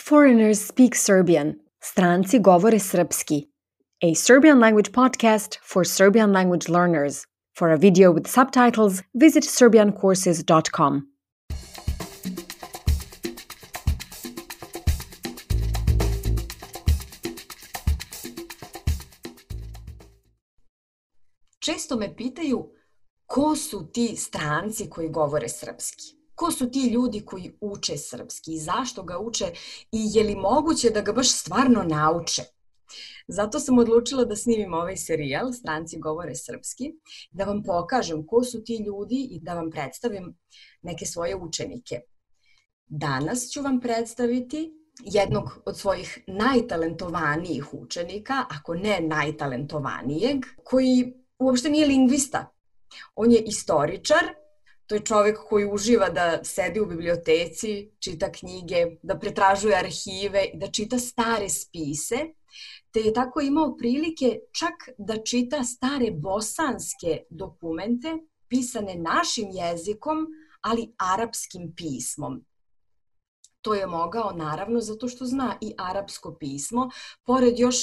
Foreigners speak Serbian. Stranci govore srpski. A Serbian language podcast for Serbian language learners. For a video with subtitles, visit serbiancourses.com. Često me pitaju ko su ti stranci koji govore srpski. Ko su ti ljudi koji uče srpski i zašto ga uče i je li moguće da ga baš stvarno nauče? Zato sam odlučila da snimim ovaj serijal Stranci govore srpski, da vam pokažem ko su ti ljudi i da vam predstavim neke svoje učenike. Danas ću vam predstaviti jednog od svojih najtalentovanijih učenika, ako ne najtalentovanijeg, koji uopšte nije lingvista. On je istoričar. To je čovjek koji uživa da sedi u biblioteci, čita knjige, da pretražuje arhive, da čita stare spise, te je tako imao prilike čak da čita stare bosanske dokumente pisane našim jezikom, ali arapskim pismom. To je mogao naravno zato što zna i arapsko pismo, pored još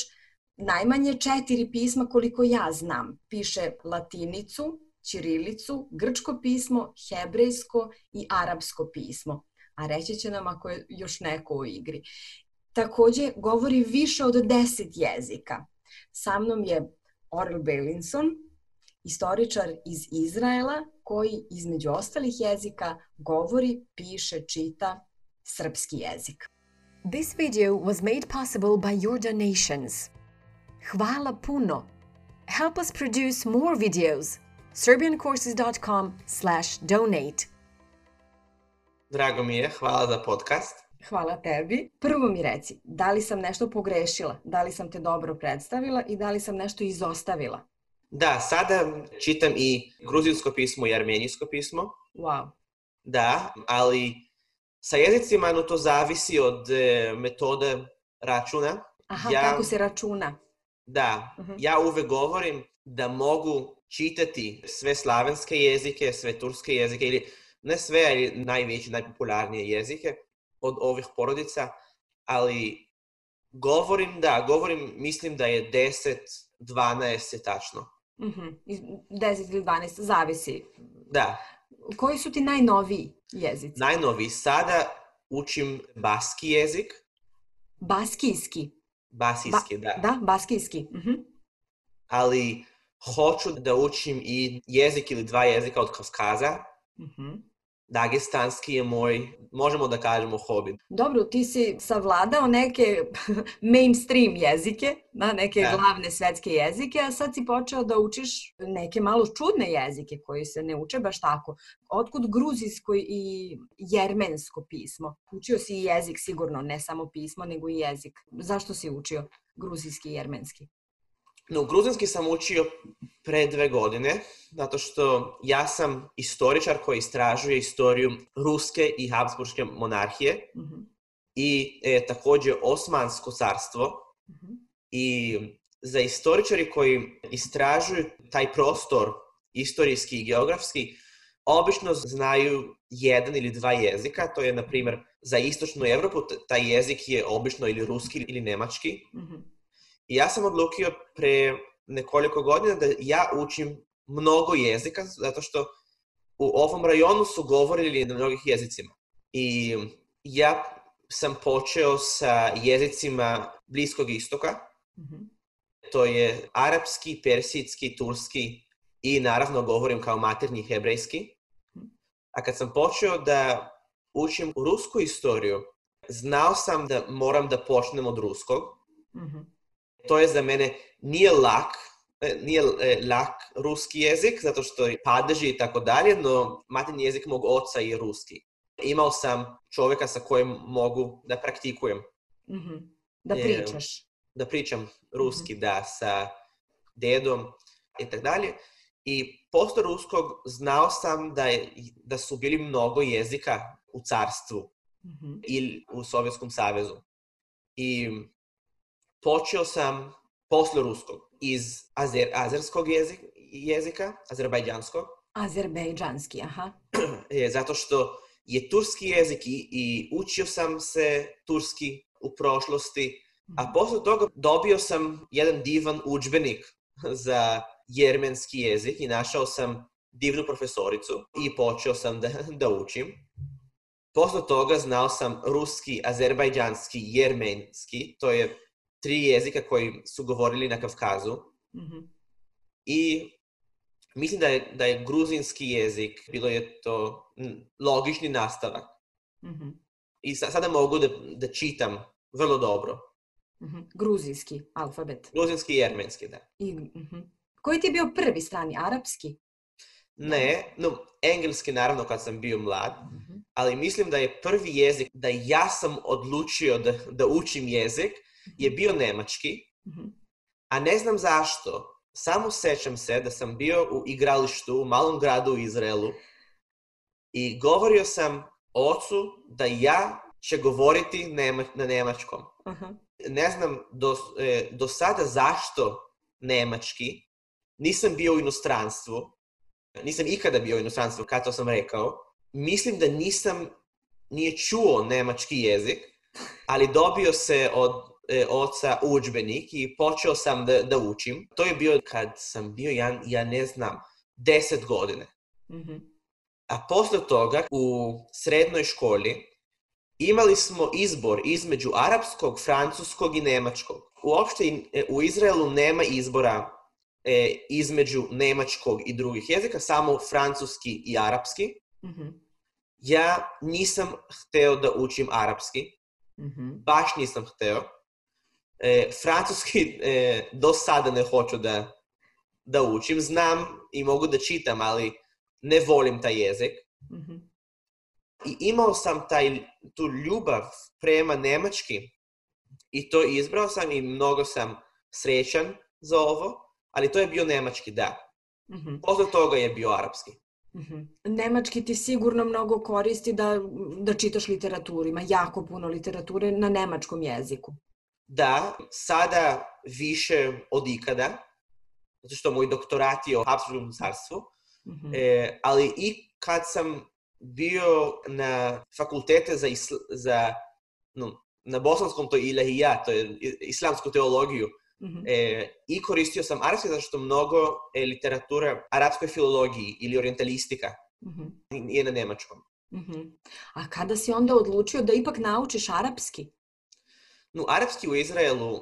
najmanje 4 pisma koliko ja znam. Piše latinicu, ćirilicu, grčko pismo, hebrejsko i arapsko pismo. A reći će nam ako je još neko u igri. Također govori više od 10 jezika. Sa mnom je Orel Beilinson, istoričar iz Izraela, koji između ostalih jezika govori, piše, čita srpski jezik. This video was made possible by your donations. Hvala puno. Help us produce more videos. serbiancourses.com/donate. Drago mi je, hvala za podcast. Hvala tebi. Prvo mi reci, da li sam nešto pogrešila, da li sam te dobro predstavila i da li sam nešto izostavila? Da, sada čitam i gruzijsko pismo i armenijsko pismo. Wow. Da, ali sa jezicima to zavisi od metode računa. Aha, kako se računa? Da, ja uvek govorim da mogu čitati sve slavenske jezike, sve turske jezike, ili ne sve, ali najveće, najpopularnije jezike od ovih porodica, ali mislim da je 10, 12 je tačno. 10 ili 12, zavisi. Da. Koji su ti najnoviji jezici? Najnoviji, sada učim baski jezik. Baskijski? Basijski, da. Da, baskijski. Ali hoću da učim i jezik ili 2 jezika od Kavkaza. Dagestanski je moj, možemo da kažemo, hobi. Dobro, ti si savladao neke mainstream jezike, neke glavne svetske jezike, a sad si počeo da učiš neke malo čudne jezike koji se ne uče baš tako. Otkud gruzijsko i jermensko pismo? Učio si i jezik sigurno, ne samo pismo, nego i jezik. Zašto si učio gruzijski i jermenski? Gruzijski sam učio pre 2 godine, zato što ja sam istoričar koji istražuje istoriju ruske i habsburške monarhije i također Osmansko carstvo. I za istoričari koji istražuju taj prostor istorijski i geografski, obično znaju 1 ili 2 jezika. To je, na primjer, za istočnu Evropu taj jezik je obično ili ruski ili nemački. I ja sam odlučio pre nekoliko godina da ja učim mnogo jezika, zato što u ovom rajonu su govorili na mnogih jezicima. I ja sam počeo sa jezicima Bliskog istoka. To je arapski, persijski, turski i naravno govorim kao maternji hebrejski. A kad sam počeo da učim rusku istoriju, znao sam da moram da počnem od ruskog. To je za mene nije lak ruski jezik, zato što je padeži i tako dalje, no maternji jezik mog oca je ruski. Imao sam čovjeka sa kojim mogu da praktikujem. Da pričaš. Da pričam ruski, da, sa dedom i tako dalje. I posle ruskog znao sam da su bili mnogo jezika u carstvu ili u Sovjetskom savezu. I počeo sam posle ruskog iz azerskog jezika, azerbajdžanskog. Azerbejdžanski, aha. Zato što je turski jezik i učio sam se turski u prošlosti, a posle toga dobio sam jedan divan udžbenik za jermenski jezik i našao sam divnu profesoricu i počeo sam da učim. Posle toga znao sam ruski, azerbajdžanski, jermenski, to je 3 jezika koji su govorili na Kavkazu. I mislim da je gruzinski jezik, bilo je to logični nastavak. I sada mogu da čitam vrlo dobro. Gruzijski alfabet. Gruzijski i jermenski, da. Koji ti je bio prvi strani, arapski? Ne, engleski naravno kad sam bio mlad, ali mislim da je prvi jezik da ja sam odlučio da učim jezik je bio nemački, a ne znam zašto. Samo sećam se da sam bio u igralištu u malom gradu u Izraelu i govorio sam ocu da ja će govoriti na nemačkom. Ne znam do sada zašto nemački. Nisam bio u inostranstvu. Nisam ikada bio u inostranstvu, kad to sam rekao. Mislim da nije čuo nemački jezik, ali dobio se od oca udžbenik i počeo sam da učim. To je bio kad sam bio, ja ne znam, 10 godine. A posle toga u srednjoj školi imali smo izbor između arapskog, francuskog i nemačkog. Uopšte u Izraelu nema izbora između nemačkog i drugih jezika, samo francuski i arapski. Ja nisam hteo da učim arapski. Baš nisam hteo. Francuski do sada ne hoću da učim. Znam i mogu da čitam, ali ne volim taj jezik. I imao sam tu ljubav prema nemački i to izbrao sam i mnogo sam srećan za ovo, ali to je bio nemački, da. Posle toga je bio arapski. Nemački ti sigurno mnogo koristi da čitaš literaturu. Ima jako puno literature na nemačkom jeziku. Da, sada više od ikada, zato što moj doktorat je o Habsburgskom carstvu, ali i kad sam bio na fakultete na bosanskom, to je ilahijat, to je islamsku teologiju, i koristio sam arapski zato što mnogo literatura arapskoj filologiji ili orientalistika je na nemačkom. A kada si onda odlučio da ipak naučiš arapski? Arapski u Izraelu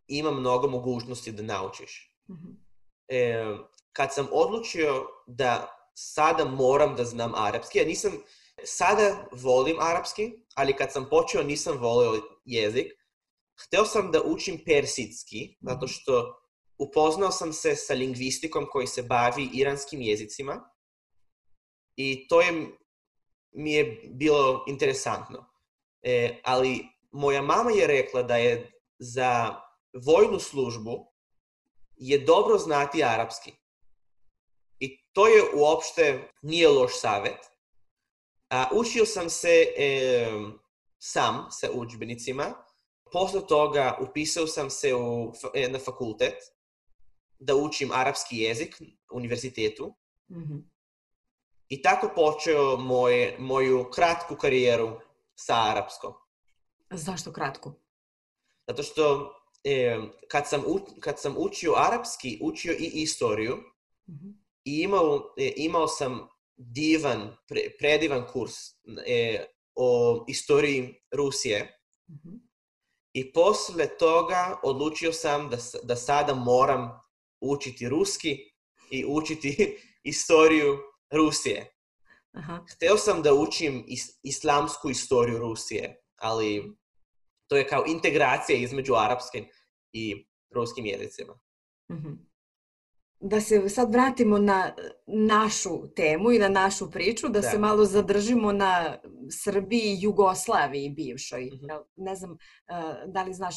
ima mnogo mogućnosti da naučiš. Kad sam odlučio da sada moram da znam arapski, sada volim arapski, ali kad sam počeo nisam volio jezik. Hteo sam da učim persijski, zato što upoznao sam se sa lingvistikom koji se bavi iranskim jezicima i to mi je bilo interesantno. Ali moja mama je rekla da je za vojnu službu je dobro znati arapski. I to je uopšte nije loš savet. Učio sam se sam sa udžbenicima. Posle toga upisao sam se na fakultet da učim arapski jezik u univerzitetu. I tako počeo moju kratku karijeru sa arapskom. Zašto kratku? Zato što kad sam učio arapski, učio i istoriju i imao sam predivan kurs o istoriji Rusije. I posle toga odlučio sam da sada moram učiti ruski i učiti istoriju Rusije. Hteo sam da učim islamsku istoriju Rusije, ali to je kao integracija između arapskim i ruskim jezicima. Da se sad vratimo na našu temu i na našu priču, da se malo zadržimo na Srbiji i Jugoslaviji bivšoj. Ne znam da li znaš,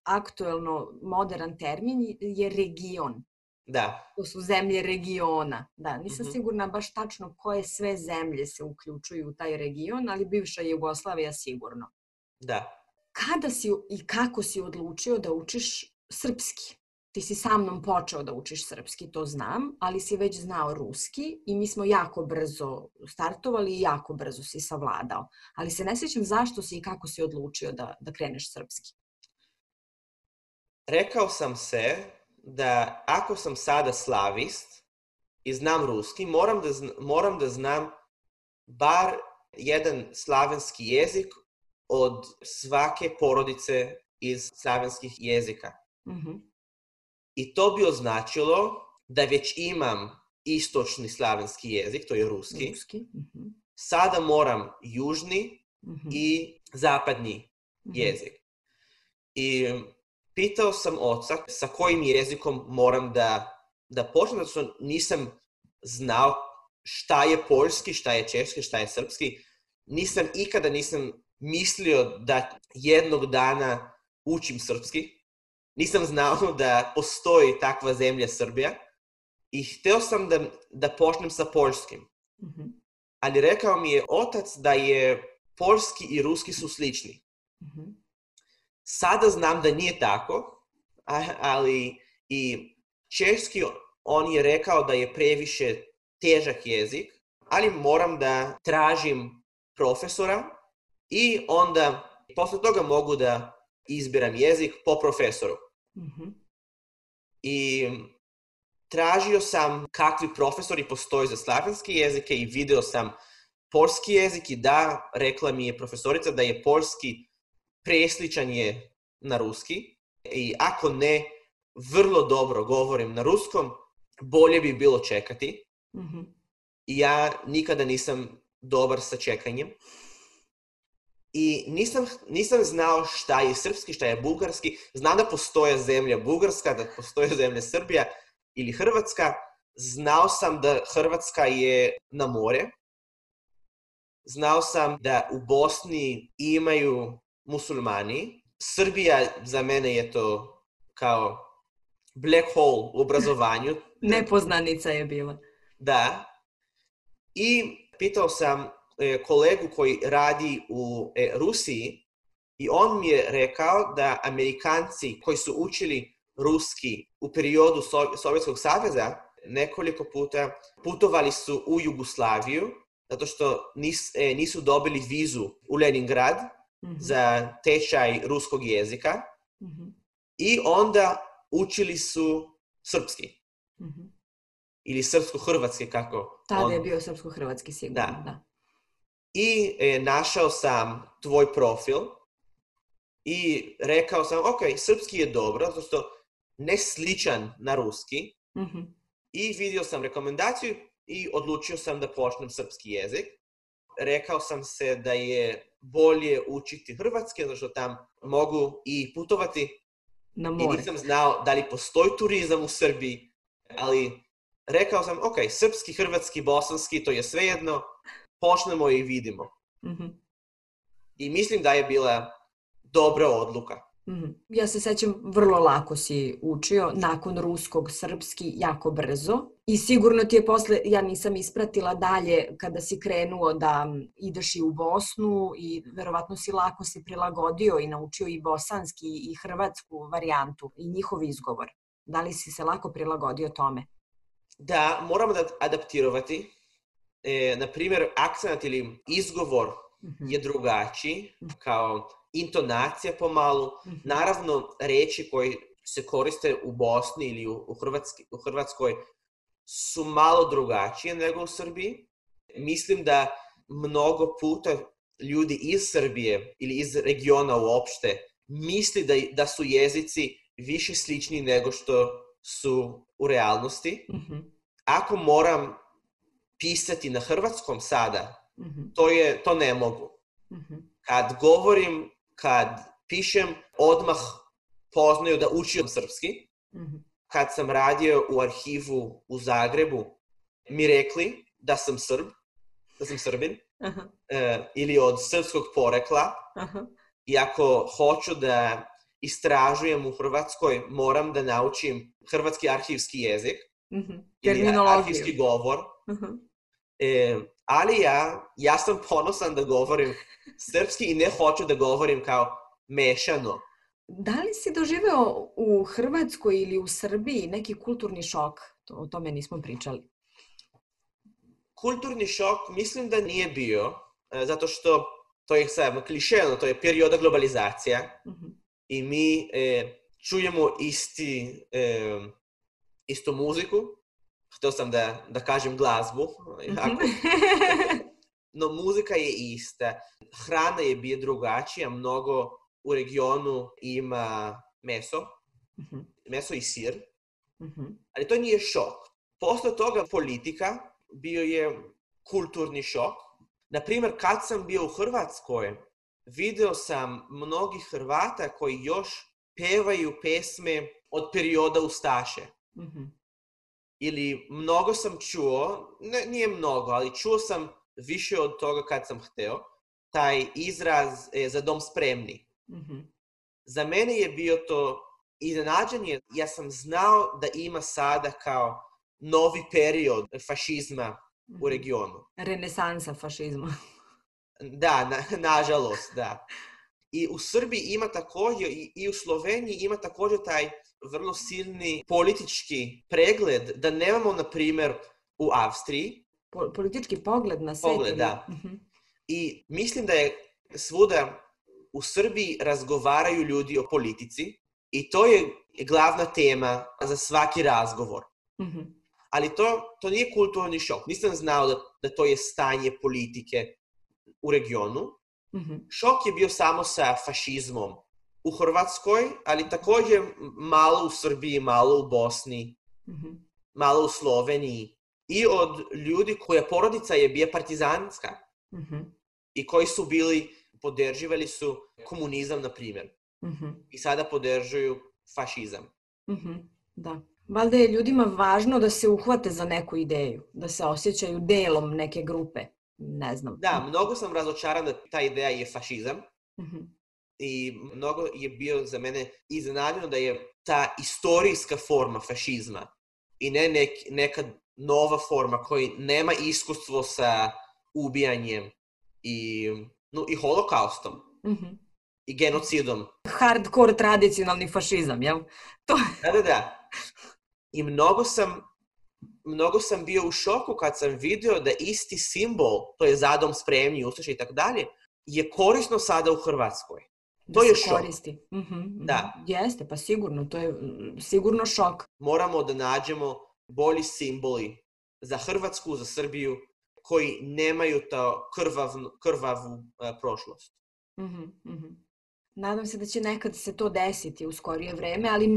aktuelno modern termin je region. Da. To su zemlje regiona. Da, nisam sigurna baš tačno koje sve zemlje se uključuju u taj region, ali bivša Jugoslavija sigurno. Da. Kada si i kako si odlučio da učiš srpski? ti si sa mnom počeo da učiš srpski, to znam, ali si već znao ruski i mi smo jako brzo startovali i jako brzo si savladao. Ali se ne sjećam zašto si i kako si odlučio da kreneš srpski. Rekao sam se da ako sam sada slavist i znam ruski, moram da znam bar jedan slavenski jezik od svake porodice iz slavenskih jezika. I to bi označilo da već imam istočni slavenski jezik, to je ruski. Sada moram južni i zapadni jezik. I pitao sam oca sa kojim jezikom moram da počnem, zato što nisam znao šta je poljski, šta je češki, šta je srpski. Ikada nisam mislio da jednog dana učim srpski. Nisam znao da postoji takva zemlja Srbija i hteo sam da počnem sa poljskim. Ali rekao mi je otac da je poljski i ruski su slični. Sada znam da nije tako, ali i češki on je rekao da je previše težak jezik, ali moram da tražim profesora i onda posle toga mogu da izbiram jezik po profesoru. I tražio sam kakvi profesori postoje za slavenske jezike i video sam poljski jezik i da, rekla mi je profesorica da je poljski presličan je na ruski i ako ne vrlo dobro govorim na ruskom, bolje bi bilo čekati. I ja nikada nisam dobar sa čekanjem. I nisam znao šta je srpski, šta je bugarski. Znam da postoje zemlja Bugarska, da postoje zemlja Srbija ili Hrvatska. Znao sam da Hrvatska je na more. Znao sam da u Bosni imaju muslimani. Srbija za mene je to kao black hole u obrazovanju. Nepoznanica je bila. Da. I pitao sam kolegu koji radi u Rusiji i on mi je rekao da Amerikanci koji su učili ruski u periodu Sovjetskog saveza nekoliko puta putovali su u Jugoslaviju zato što nisu dobili vizu u Leningrad za tečaj ruskog jezika i onda učili su srpski. Ili srpsko-hrvatski, kako? Tada je bio srpsko-hrvatski sigurno, da. I našao sam tvoj profil i rekao sam, ok, srpski je dobro, zato što ne sličan na ruski. I vidio sam rekomendaciju i odlučio sam da počnem srpski jezik. Rekao sam se da je bolje učiti hrvatski, zato što tam mogu i putovati. Na more. I nisam znao da li postoji turizam u Srbiji, ali rekao sam, ok, srpski, hrvatski, bosanski, to je svejedno, počnemo i vidimo. I mislim da je bila dobra odluka. Ja se sećam, vrlo lako si učio, nakon ruskog, srpski, jako brzo. I sigurno ti je posle, ja nisam ispratila dalje kada si krenuo da ideš i u Bosnu i verovatno si lako se prilagodio i naučio i bosanski i hrvatsku varijantu i njihov izgovor. Da li si se lako prilagodio tome? Da, moramo da adaptirati. Naprimjer, akcent ili izgovor je drugačiji, kao intonacija pomalo. Naravno, reči koje se koriste u Bosni ili u Hrvatskoj su malo drugačije nego u Srbiji. Mislim da mnogo puta ljudi iz Srbije ili iz regiona uopšte misli da su jezici više slični nego što su u realnosti. Ako moram pisati na hrvatskom sada, to ne mogu. Kad govorim, kad pišem, odmah poznaju da učim srpski. Kad sam radio u arhivu u Zagrebu, mi rekli da sam Srbin, ili od srpskog porekla. I ako hoću da istražujem u Hrvatskoj, moram da naučim hrvatski arhivski jezik ili arhivski govor. Ali ja sam ponosan da govorim srpski i ne hoću da govorim kao mešano. Da li si doživeo u Hrvatskoj ili u Srbiji neki kulturni šok? O tome nismo pričali. Kulturni šok mislim da nije bio, zato što to je sad klišeno, to je perioda globalizacija i mi čujemo istu muziku. Htio sam da kažem glazbu, no muzika je ista. Hrana je bila drugačija, mnogo u regionu ima meso i sir, ali to nije šok. Posle toga politika bio je kulturni šok. Naprimjer, kad sam bio u Hrvatskoj, video sam mnogi Hrvata koji još pevaju pesme od perioda ustaše. Ili mnogo sam čuo, nije mnogo, ali čuo sam više od toga kad sam hteo, taj izraz za dom spremni. Za mene je bio to iznenađenje. Ja sam znao da ima sada kao novi period fašizma u regionu. Renesansa fašizma. Da, nažalost, da. I u Srbiji ima također, i u Sloveniji ima također taj vrlo silni politički pregled da nemamo, na primjer, u Avstriji. Politički pogled na svijet. Pogled, da. I mislim da je svuda u Srbiji razgovaraju ljudi o politici i to je glavna tema za svaki razgovor. Ali to nije kulturni šok. Nisam znao da to je stanje politike u regionu. Šok je bio samo sa fašizmom u Hrvatskoj, ali također malo u Srbiji, malo u Bosni, malo u Sloveniji. I od ljudi koja porodica je bila partizanska i koji su podrživali su komunizam, na primjer. I sada podržuju fašizam. Da. Valjda je ljudima važno da se uhvate za neku ideju, da se osjećaju delom neke grupe. Ne znam. Da, mnogo sam razočaran da ta ideja je fašizam. I mnogo je bio za mene iznenađeno da je ta istorijska forma fašizma i ne neka nova forma koja nema iskustvo sa ubijanjem i holokaustom i genocidom. Hardcore tradicionalni fašizam, jel? Da. I mnogo sam bio u šoku kad sam vidio da isti simbol, to je za dom spremni, ustaše i tako dalje, je korisno sada u Hrvatskoj. To je šok. Koristi. Da. Jeste, pa sigurno, to je sigurno šok. Moramo da nađemo bolji simboli za Hrvatsku, za Srbiju, koji nemaju to krvavu prošlost. Nadam se da će nekad se to desiti u skorije vreme, ali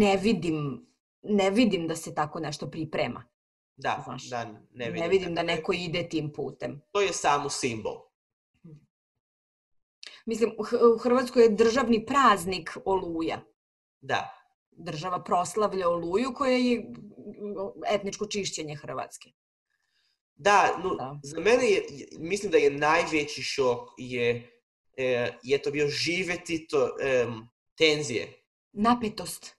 ne vidim da se tako nešto priprema. Da, ne vidim. Ne vidim da neko ide tim putem. To je samo simbol. Mislim, u Hrvatskoj je državni praznik Oluja. Da. Država proslavlja Oluju koja je etničko čišćenje Hrvatske. Da. Za mene mislim da je najveći šok je to bio živjeti tenzije. Napetost.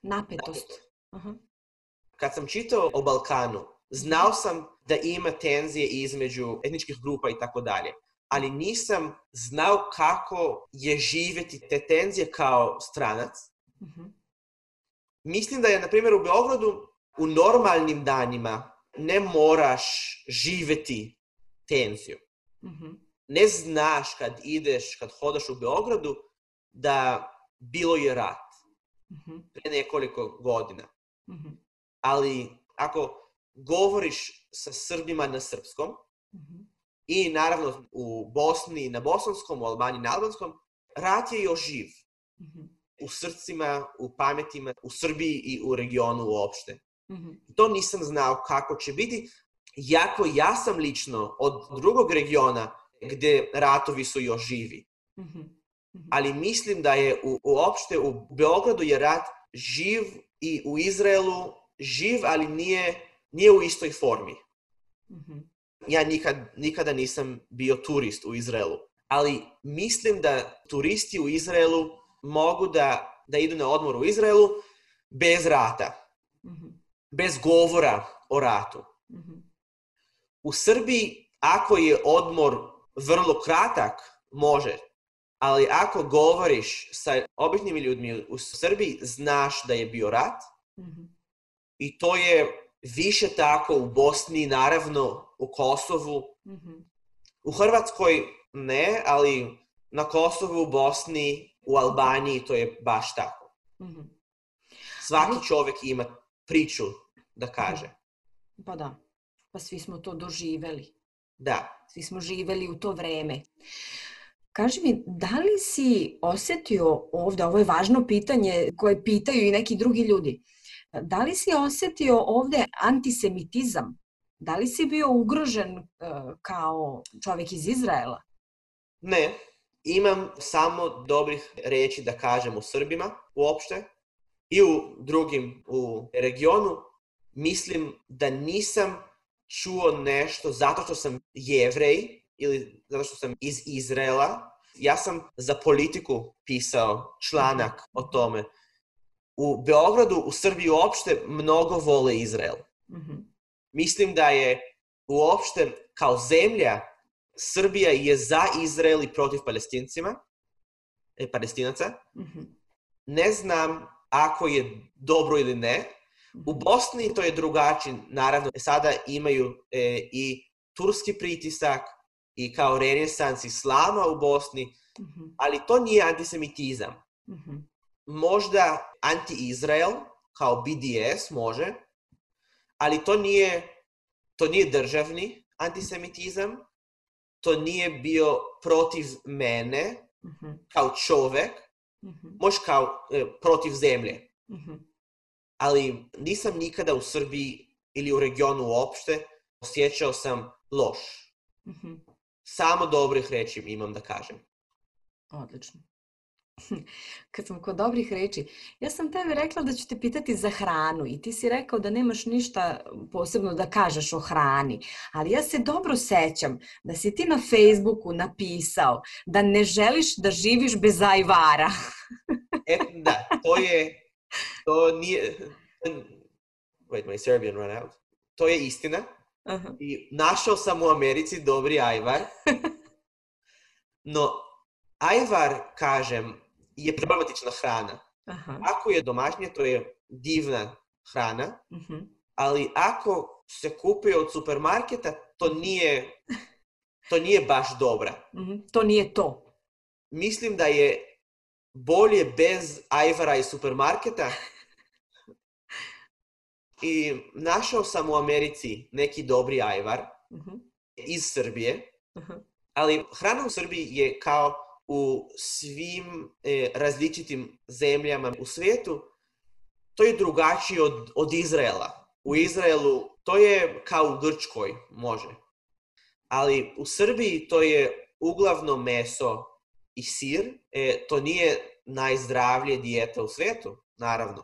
Kad sam čitao o Balkanu, znao sam da ima tenzije između etničkih grupa i tako dalje. Ali nisam znao kako je živjeti te tenzije kao stranac. Mislim da je, na primjer, u Beogradu u normalnim danima ne moraš živjeti tenziju. Ne znaš kad hodaš u Beogradu da bilo je rat pre nekoliko godina. Ali ako govoriš sa Srbima na srpskom, i naravno u Bosni na bosanskom, u Albaniji na albanskom, rat je još živ. U srcima, u pametima, u Srbiji i u regionu uopšte. To nisam znao kako će biti, jako ja sam lično od drugog regiona gdje ratovi su još živi. Ali mislim da je uopšte u Beogradu je rat živ i u Izraelu živ, ali nije u istoj formi. Ja nikada nisam bio turist u Izraelu, ali mislim da turisti u Izraelu mogu da idu na odmor u Izraelu bez rata, bez govora o ratu. U Srbiji, ako je odmor vrlo kratak, može. Ali ako govoriš sa običnim ljudima u Srbiji, znaš da je bio rat. I to je više tako u Bosni, naravno u Kosovu. U Hrvatskoj ne, ali na Kosovu, u Bosni, u Albaniji to je baš tako. Svaki čovjek ima priču da kaže. Pa da, pa svi smo to doživeli. Da. Svi smo živeli u to vreme. Kaži mi, da li si osjetio ovdje, ovo je važno pitanje koje pitaju i neki drugi ljudi, da li si osjetio ovdje antisemitizam? Da li si bio ugrožen kao čovjek iz Izraela? Ne, imam samo dobrih riječi da kažem o Srbima uopšte i u drugim u regionu. Mislim da nisam čuo nešto zato što sam Jevrej ili zato što sam iz Izraela. Ja sam za Politiku pisao članak o tome. U Beogradu, u Srbiji uopšte mnogo vole Izrael. Mislim da je uopšte kao zemlja Srbija je za Izrael i protiv Palestinaca. Ne znam ako je dobro ili ne. U Bosni to je drugačije. Naravno, sada imaju i turski pritisak i kao renesans islama u Bosni, ali to nije antisemitizam. Možda anti-Izrael, kao BDS može, ali to nije državni antisemitizam, to nije bio protiv mene, kao čovjek, možda kao protiv zemlje. Ali nisam nikada u Srbiji ili u regionu uopšte osjećao sam loš. Samo dobrih reći imam da kažem. Odlično. Kad sam kod dobrih reči, ja sam tebi rekla da ću te pitati za hranu i ti si rekao da nemaš ništa posebno da kažeš o hrani, ali ja se dobro sećam da si ti na Facebooku napisao da ne želiš da živiš bez ajvara. Da, to nije... Wait, my Serbian ran out. To je istina. I našao sam u Americi dobri ajvar. No, ajvar, kažem, je problematična hrana. Ako je domaćnje, to je divna hrana, ali ako se kupuje od supermarketa, to nije baš dobra. To nije to. Mislim da je bolje bez ajvara iz supermarketa. I našao sam u Americi neki dobri ajvar iz Srbije, ali hrana u Srbiji je kao u svim različitim zemljama u svijetu, to je drugačije od Izraela. U Izraelu to je kao u Grčkoj, može. Ali u Srbiji to je uglavnom meso i sir. To nije najzdravlje dijeta u svijetu, naravno.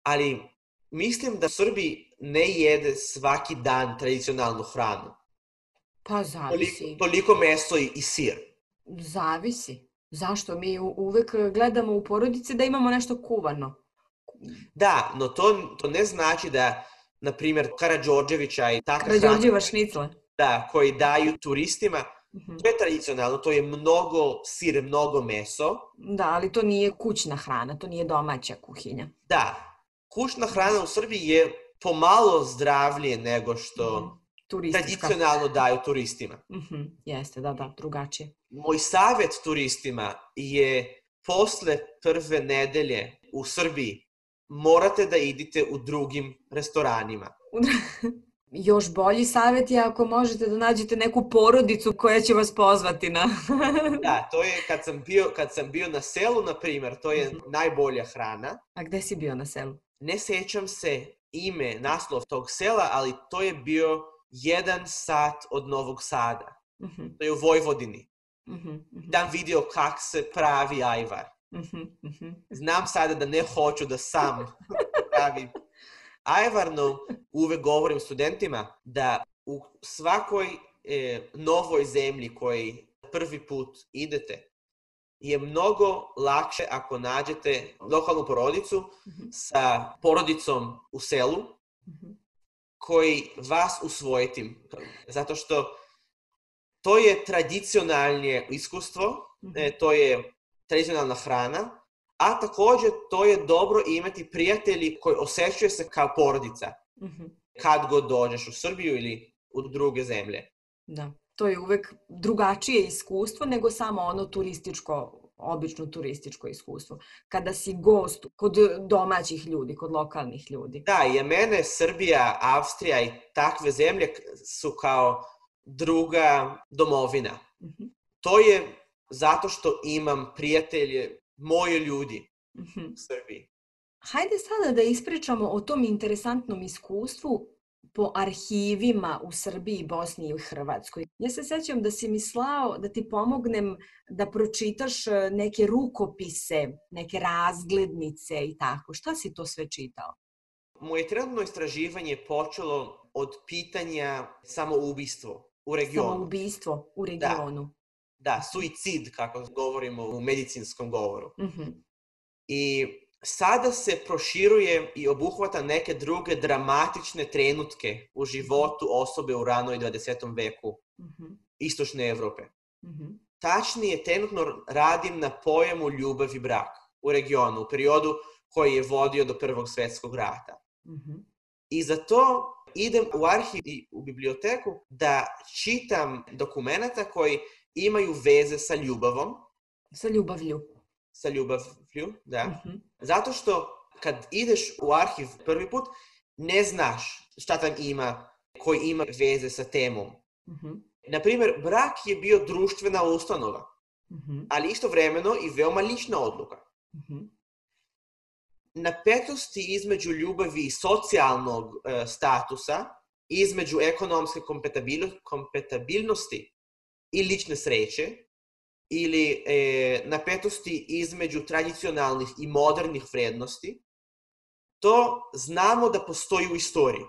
Ali mislim da Srbi ne jede svaki dan tradicionalnu hranu. Pa zavisi. Toliko meso i sir. Zavisi. Zašto? Mi uvek gledamo u porodici da imamo nešto kuvano. Da, no to ne znači da, na primjer, Karađorđevića i takva Karađorđeva šnicle. Da, koji daju turistima. To je tradicionalno, to je mnogo sir, mnogo meso. Da, ali to nije kućna hrana, to nije domaća kuhinja. Da. Kućna hrana u Srbiji je pomalo zdravlje nego što tradicionalno daju turistima. Jeste, da, drugačije. Moj savjet turistima je posle prve nedelje u Srbiji morate da idete u drugim restoranima. Još bolji savjet je ako možete da nađete neku porodicu koja će vas pozvati na... Da, to je kad sam bio na selu, na primjer, to je najbolja hrana. A gde si bio na selu? Ne sjećam se naslov tog sela, ali to je bio 1 sat od Novog Sada. To je u Vojvodini. Tam vidio kak se pravi ajvar. Znam sada da ne hoću da sam pravim ajvar, no uvek govorim studentima da u svakoj novoj zemlji koji prvi put idete, je mnogo lakše ako nađete lokalnu porodicu sa porodicom u selu koji vas usvojiti. Zato što to je tradicionalno iskustvo to je tradicionalna hrana, a također to je dobro imati prijatelji koji osjećaju se kao porodica. Kad god dođeš u Srbiju ili u druge zemlje. Da, to je uvek drugačije iskustvo nego samo ono obično turističko iskustvo. Kada si gost kod domaćih ljudi, kod lokalnih ljudi. Da, i mene Srbija, Avstrija i takve zemlje su kao druga domovina. To je zato što imam prijatelje, moje ljudi u Srbiji. Hajde sada da ispričamo o tom interesantnom iskustvu po arhivima u Srbiji, Bosni i Hrvatskoj. Ja se sećam da si mi slao da ti pomognem da pročitaš neke rukopise, neke razglednice i tako. Šta si to sve čitao? Moje trenutno istraživanje počelo od pitanja samoubistvo u regionu. Samoubistvo u regionu. Da, suicid, kako govorimo u medicinskom govoru. I sada se proširuje i obuhvata neke druge dramatične trenutke u životu osobe u ranoj 20. veku istočne Evrope. Tačnije, trenutno radim na pojmu ljubav i brak u regionu, u periodu koji je vodio do Prvog svjetskog rata. I zato idem u arhiv i u biblioteku da čitam dokumenta koji imaju veze sa ljubavom. Sa ljubavlju. Sa ljubavlju, da. Zato što kad ideš u arhiv prvi put, ne znaš šta tam ima, koji ima veze sa temom. Naprimjer, brak je bio društvena ustanova, ali istovremeno i veoma lična odluka. Napetosti između ljubavi i socijalnog statusa, između ekonomske kompatibilnosti i lične sreće, ili napetosti između tradicionalnih i modernih vrednosti, to znamo da postoji u istoriji.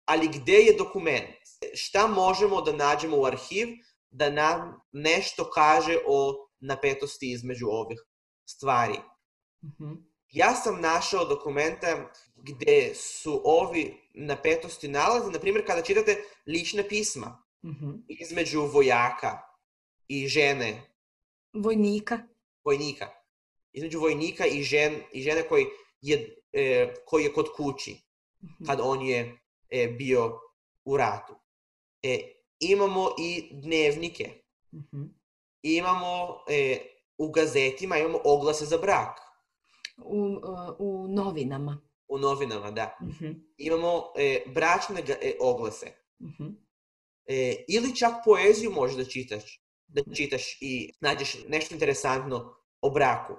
Ali gdje je dokument? Šta možemo da nađemo u arhiv da nam nešto kaže o napetosti između ovih stvari? Ja sam našao dokumenta gdje su ovi napetosti nalaze, na primjer kada čitate lična pisma između vojaka i žene. Vojnika. Između vojnika i žene koji je kod kući, kad on je bio u ratu. Imamo i dnevnike. Imamo u gazetima, imamo oglase za brak. U novinama. U novinama, da. Imamo bračne oglase. Ili čak poeziju možeš da čitaš i nađeš nešto interesantno o braku.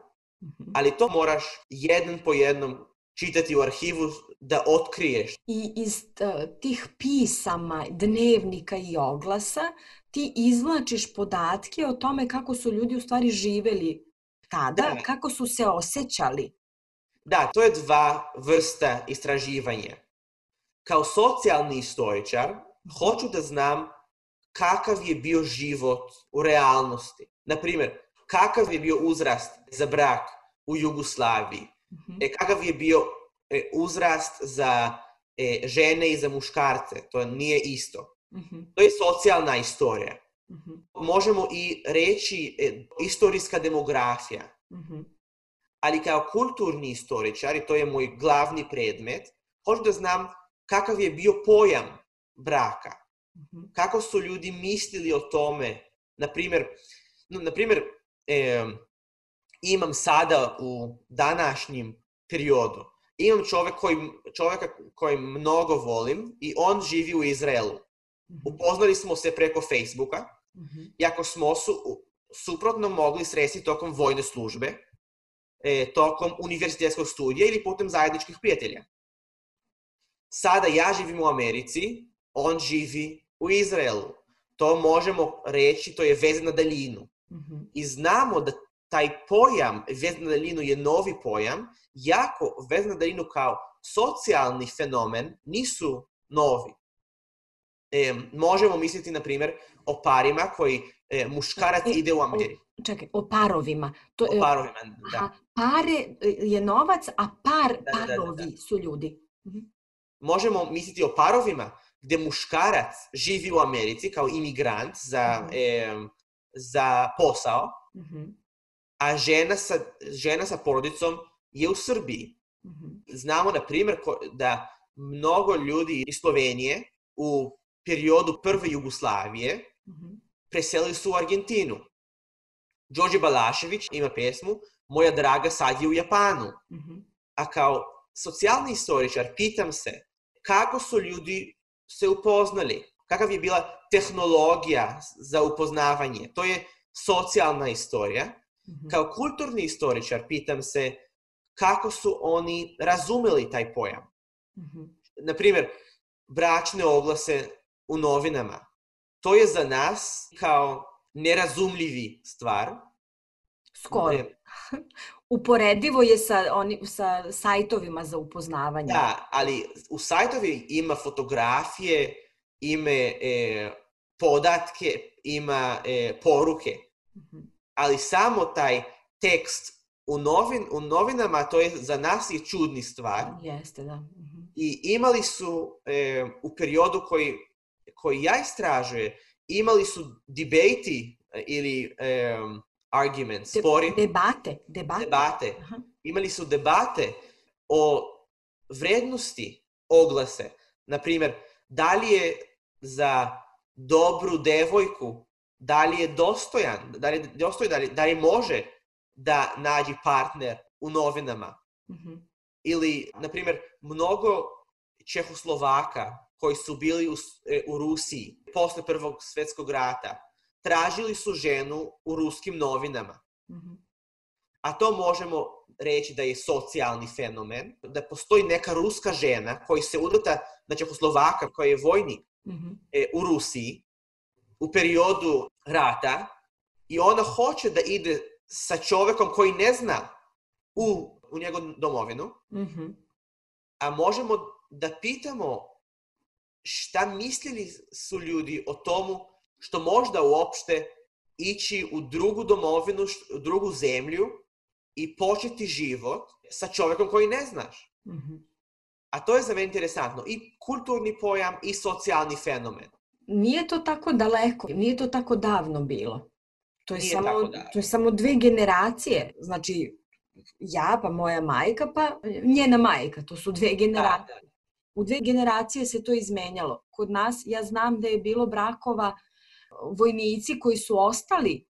Ali to moraš jedan po jednom čitati u arhivu da otkriješ. I iz tih pisama, dnevnika i oglasa ti izvlačiš podatke o tome kako su ljudi u stvari živeli tada, kako su se osjećali. Da, to je dva vrsta istraživanja. Kao socijalni istoričar hoću da znam kakav je bio život u realnosti. Naprimjer, kakav je bio uzrast za brak u Jugoslaviji, kakav je bio uzrast za žene i za muškarce, to nije isto. To je socijalna istorija. Možemo i reći istorijska demografija. Ali kao kulturni istoričar, i to je moj glavni predmet, hoću da znam kakav je bio pojam braka. Kako su ljudi mislili o tome. Naprimjer, imam sada u današnjem periodu, imam čovjeka koji mnogo volim i on živi u Izraelu. Upoznali smo se preko Facebooka, iako smo suprotno mogli sresti tokom vojne službe, tokom univerzitetskog studija ili putem zajedničkih prijatelja. Sada ja živim u Americi, on živi u Izraelu. To možemo reći, to je veza na daljinu. I znamo da taj pojam veza na daljinu je novi pojam, jako veza na daljinu kao socijalni fenomen nisu novi. Možemo misliti, na primjer, o parima koji muškarac ide u Ameriku. Čekaj, o parovima. O parovima, da. Pare je novac, a parovi su ljudi. Možemo misliti o parovima gdje muškarac živi u Americi kao imigrant za za posao, a žena sa porodicom je u Srbiji. Znamo, na primjer, da mnogo ljudi iz Slovenije u periodu prve Jugoslavije preselili su u Argentinu. Đorđe Balašević ima pesmu Moja draga sad je u Japanu. A kao socijalni istoričar pitam se kako su ljudi se upoznali, kakav je bila tehnologija za upoznavanje. To je socijalna istorija. Kao kulturni istoričar pitam se kako su oni razumeli taj pojam. Naprimjer, bračne oglase u novinama. To je za nas kao nerazumljivi stvar. Skoro. Uporedivo je sa sajtovima za upoznavanje. Da, ali u sajtovi ima fotografije, ima podatke, ima poruke. Ali samo taj tekst u novinama, to je za nas je čudni stvar. Jeste, da. I imali su u periodu koji ja istražujem, imali su debate ili argument, spori. Debate. Imali su debate o vrednosti oglase. Naprimjer, da li je za dobru devojku, da li je dostojan, da li može da nađe partner u novinama. Ili, naprimjer, mnogo Čehoslovaka koji su bili u Rusiji posle Prvog svjetskog rata, tražili su ženu u ruskim novinama. A to možemo reći da je socijalni fenomen, da postoji neka ruska žena koja se udata na Čehoslovaka koji je vojnik u Rusiji u periodu rata i ona hoće da ide sa čovjekom koji ne zna u njegovu domovinu. A možemo da pitamo šta mislili su ljudi o tomu što možda uopšte ići u drugu domovinu, u drugu zemlju i početi život sa čovjekom koji ne znaš. A to je za mene interesantno. I kulturni pojam i socijalni fenomen. Nije to tako daleko, nije to tako davno bilo. To je samo 2 generacije. Znači, ja pa moja majka pa njena majka. To su 2 generacije. Da. U 2 generacije se to izmenjalo. Kod nas, ja znam da je bilo brakova vojnici koji su ostali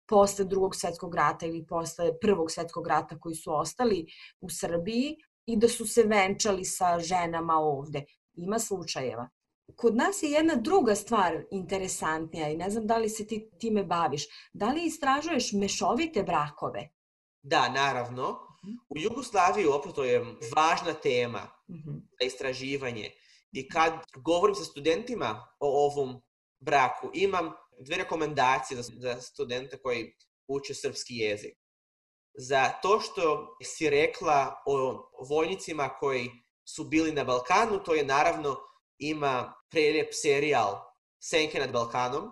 posle Drugog svjetskog rata ili posle Prvog svjetskog rata koji su ostali u Srbiji i da su se venčali sa ženama ovde. Ima slučajeva. Kod nas je jedna druga stvar interesantnija i ne znam da li se ti time baviš. Da li istražuješ mešovite brakove? Da, naravno. U Jugoslaviji to je važna tema za istraživanje. I kad govorim sa studentima o ovom braku, imam 2 rekomendacije za studente koji uče srpski jezik. Za to što si rekla o vojnicima koji su bili na Balkanu, to je naravno ima prelijep serijal Senke nad Balkanom,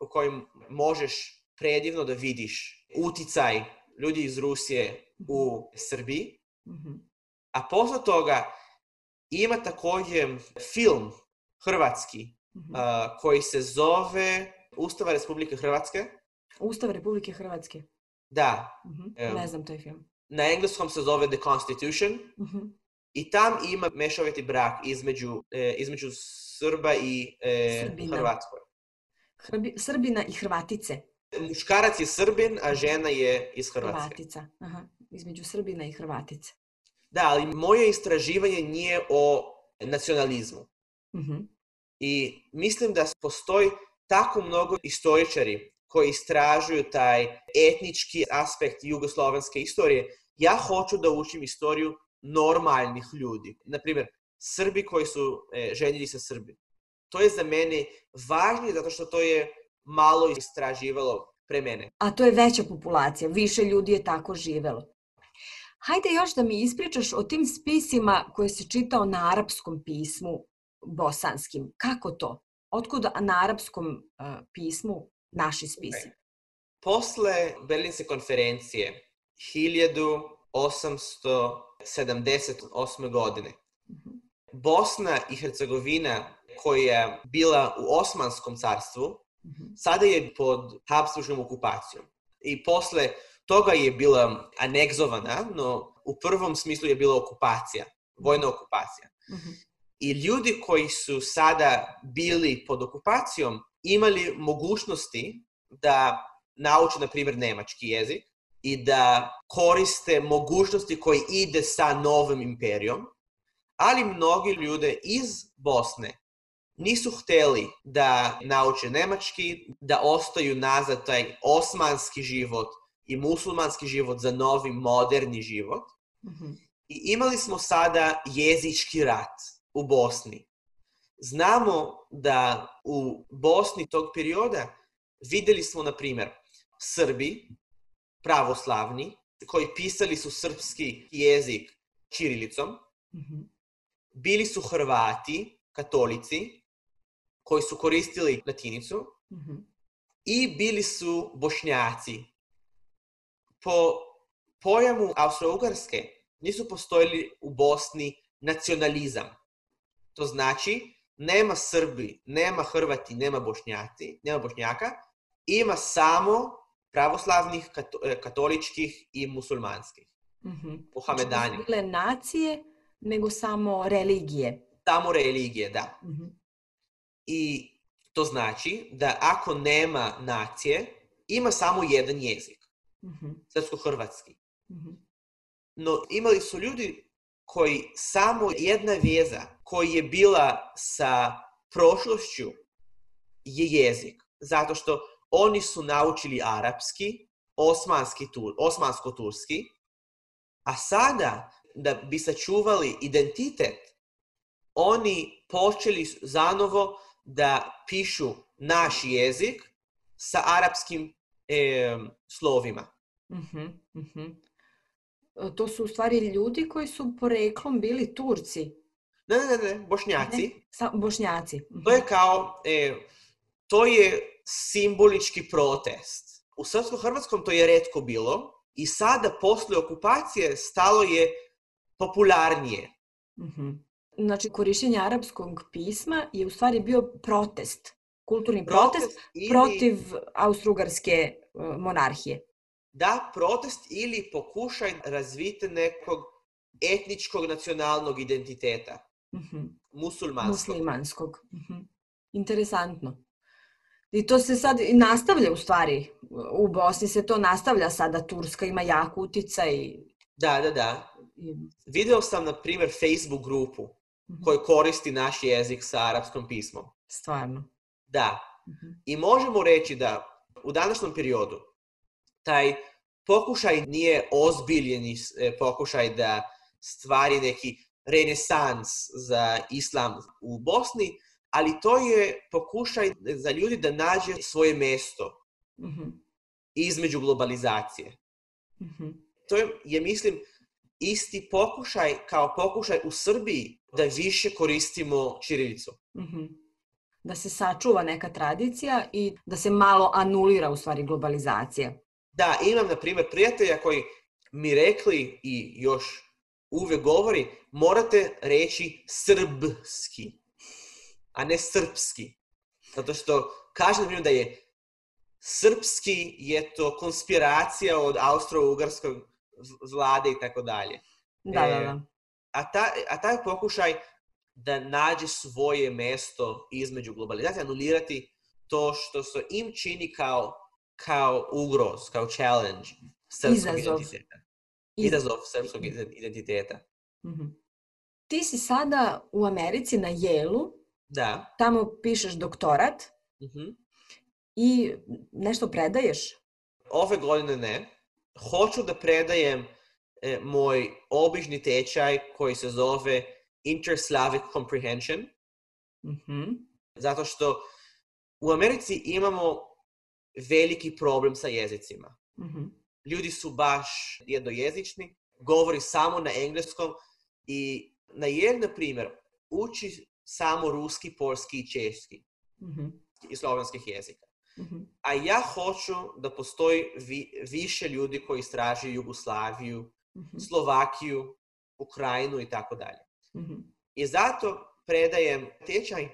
u kojem možeš predivno da vidiš uticaj ljudi iz Rusije u Srbiji. A posle toga ima također film hrvatski koji se zove Ustava Republike Hrvatske. Ustav Republike Hrvatske? Da. Ne znam taj film. Na engleskom se zove The Constitution. I tam ima mešoviti brak između Srba i Hrvatskoj. Srbina i Hrvatice. Muškarac je Srbin, a žena je iz Hrvatske. Hrvatica. Između Srbina i Hrvatice. Da, ali moje istraživanje nije o nacionalizmu. I mislim da postoji tako mnogo istoričari koji istražuju taj etnički aspekt jugoslovenske istorije. Ja hoću da učim istoriju normalnih ljudi. Naprimjer, Srbi koji su ženili sa Srbima. To je za mene važnije zato što to je malo istraživalo pre mene. A to je veća populacija, više ljudi je tako živelo. Hajde još da mi ispričaš o tim spisima koje si čitao na arapskom pismu bosanskim. Kako to? Otkud na arapskom pismu naši spisi? Posle Berlinske konferencije 1878. godine Bosna i Hercegovina koja je bila u Osmanskom carstvu Sada je pod Habsburškom okupacijom. I posle toga je bila anegzovana, no u prvom smislu je bila okupacija, vojna okupacija. I ljudi koji su sada bili pod okupacijom imali mogućnosti da nauče, na primjer, nemački jezik i da koriste mogućnosti koje ide sa novim imperijom, ali mnogi ljudi iz Bosne nisu hteli da nauče nemački, da ostaju nazad taj osmanski život i musulmanski život za novi moderni život. I imali smo sada jezički rat u Bosni. Znamo da u Bosni tog perioda vidjeli smo, na primjer, Srbi, pravoslavni, koji pisali su srpski jezik ćirilicom. Bili su Hrvati, katolici, koji su koristili latinicu. I bili su Bošnjaci. Po pojmu Austro-Ugarske nisu postojali u Bosni nacionalizam. To znači, nema Srbi, nema Hrvati, nema Bošnjaka, ima samo pravoslavnih, katoličkih i musulmanskih. Mohamedani. Nisu bile nacije, nego samo religije. Samo religije, da. I to znači da ako nema nacije, ima samo jedan jezik. Srpsko-hrvatski. No imali su ljudi koji samo jedna veza koja je bila sa prošlošću je jezik. Zato što oni su naučili arapski, osmansko-turski, a sada da bi sačuvali identitet, oni počeli zanovo da pišu naš jezik sa arapskim slovima. To su u stvari ljudi koji su poreklom bili Turci. Ne, Bošnjaci. Bošnjaci. To je kao, to je simbolički protest. U srpsko-hrvatskom to je retko bilo i sada posle okupacije stalo je popularnije. Znači, korištenje arapskog pisma je u stvari bio protest, kulturni protest protiv Austro-Ugarske monarhije. Da, protest ili pokušaj razviti nekog etničkog nacionalnog identiteta. Muslimanskog. Interesantno. I to se sad nastavlja u stvari. U Bosni se to nastavlja sada. Turska ima jak uticaj. Da. Video sam, na primjer, Facebook grupu koji koristi naš jezik sa arapskom pismom. Stvarno. Da. I možemo reći da u današnjem periodu taj pokušaj nije ozbiljeni pokušaj da stvari neki renesans za islam u Bosni, ali to je pokušaj za ljudi da nađe svoje mjesto između globalizacije. To je, mislim, isti pokušaj kao pokušaj u Srbiji da više koristimo ćirilicu. Da se sačuva neka tradicija i da se malo anulira u stvari globalizacija. Da, imam, na primjer, prijatelja koji mi rekli i još uvijek govori, morate reći srbski, a ne srpski. Zato što kažem, na primjer, da je srpski je to konspiracija od austro-ugarskog vlade i tako dalje. Da. A taj pokušaj da nađe svoje mjesto između globalizacije, anulirati to što se im čini kao ugroz, kao challenge srpskog identiteta. Izazov srpskog identiteta. Ti si sada u Americi na Yale-u. Da. Tamo pišeš doktorat. I nešto predaješ? Ove godine ne. Hoću da predajem moj obični tečaj koji se zove Inter-Slavic Comprehension. Zato što u Americi imamo veliki problem sa jezicima. Ljudi su baš jednojezični, govori samo na engleskom i na Yale, na primjer, uči samo ruski, polski i češki i slovenskih jezika. A ja hoću da postoji više ljudi koji istražuju Jugoslaviju, Slovakiju, Ukrajinu i tako dalje. I zato predajem tečaj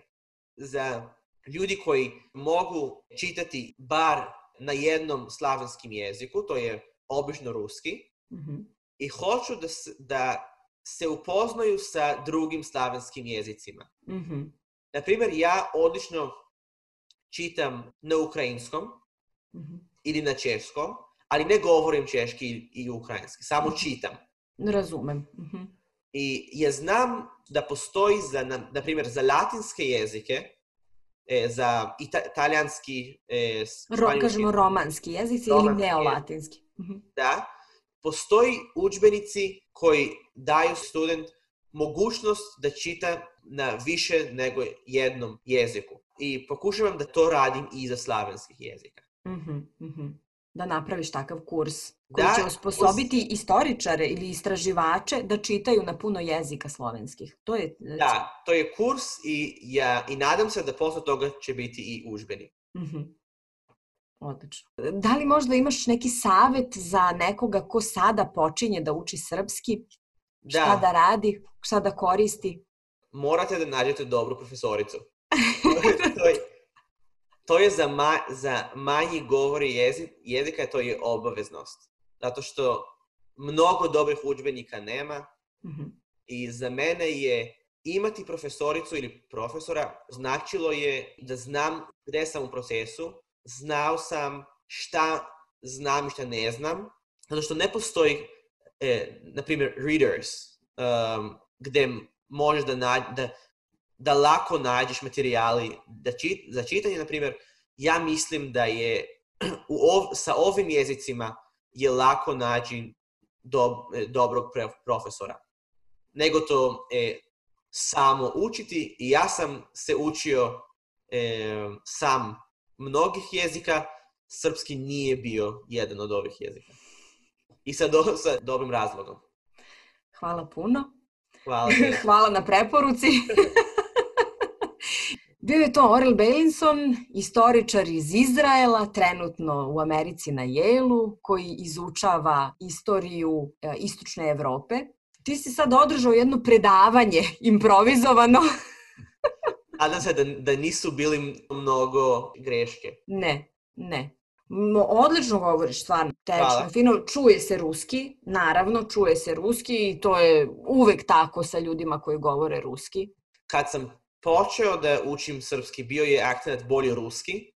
za ljudi koji mogu čitati bar na jednom slavenskim jeziku, to je obično ruski, i hoću da se upoznaju sa drugim slavenskim jezicima. Naprimjer, ja odlično čitam na ukrajinskom ili na češkom, ali ne govorim češki i ukrajinski, samo čitam. Razumem. I ja znam da postoji, na primjer, za latinske jezike, za italijanski, španjolski... Kažemo romanski jezici ili neolatinski. Da, postoji udžbenici koji daju student mogućnost da čita na više nego jednom jeziku. I pokušavam da to radim i za slavenskih jezika. Da napraviš takav kurs koji će osposobiti istoričare ili istraživače da čitaju na puno jezika slovenskih. Da, to je kurs i nadam se da posle toga će biti i udžbenik. Odlično. Da li možda imaš neki savet za nekoga ko sada počinje da uči srpski? Šta da radi? Šta da koristi? Morate da nađete dobru profesoricu. To je za manji govori jezika, to je obaveznost. Zato što mnogo dobrih udžbenika nema i za mene je imati profesoricu ili profesora značilo je da znam gde sam u procesu, znao sam šta znam i šta ne znam, zato što ne postoji, na primjer, readers, gde možeš da lako nađeš materijali za čitanje. Na primjer, ja mislim da je sa ovim jezicima je lako naći dobrog profesora. Nego to samo učiti. I ja sam se učio sam mnogih jezika. Srpski nije bio jedan od ovih jezika. I sa dobrim razlogom. Hvala puno. Hvala. Hvala na preporuci. Bio je to Orel Beilinson, istoričar iz Izraela, trenutno u Americi na Yale-u, koji izučava istoriju istočne Evrope. Ti si sad održao jedno predavanje improvizovano. Nadam se da nisu bili mnogo greške. Ne. Odlično govoriš, stvarno, tečno, fino, čuje se ruski, naravno, čuje se ruski i to je uvek tako sa ljudima koji govore ruski. Kad sam počeo da učim srpski, bio je akcent bolje ruski.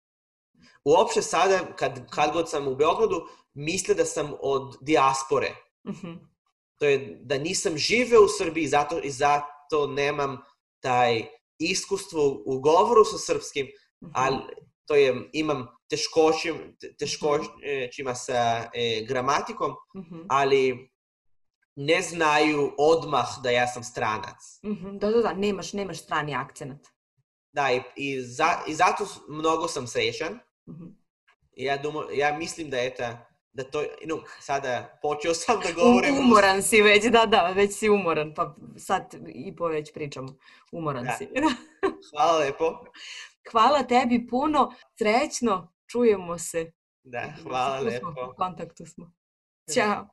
Uopšte sada, kad god sam u Beogradu, misle da sam od dijaspore. To je da nisam živeo u Srbiji i zato nemam taj iskustvo u govoru sa srpskim, ali to je, imam teškoćima sa gramatikom, ali ne znaju odmah da ja sam stranac. Da, nemaš strani akcent. Da, i zato mnogo sam srećan. Ja mislim da to, sada počeo sam da govorim. Umoran si već, da, već si umoran, pa sad i po već pričamo. Umoran si. Hvala lepo. Hvala tebi puno, srećno, čujemo se. Da, hvala lepo. U kontaktu smo. Ćao.